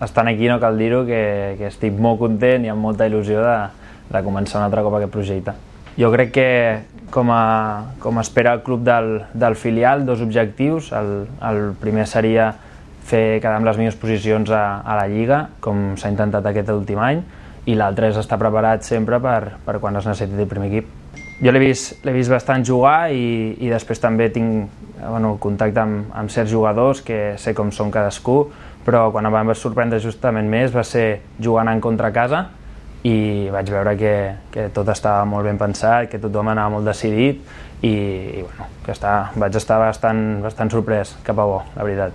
estant aquí no cal dir-ho, que estic molt content i amb molta il·lusió de començar un altre cop aquest projecte. Jo crec que, com espera el club del filial, dos objectius. El primer seria quedar amb les millors posicions a la Lliga, com s'ha intentat aquest últim any, i l'altre és estar preparat sempre per quan es necessiti el primer equip. Jo l'he vist bastant jugar i després també tinc contacte amb certs jugadors que sé com són cadascú, però quan em va sorprendre justament més va ser jugant en contra a casa i vaig veure que tot estava molt ben pensat, que tothom anava molt decidit i vaig estar bastant sorprès cap a bo, la veritat.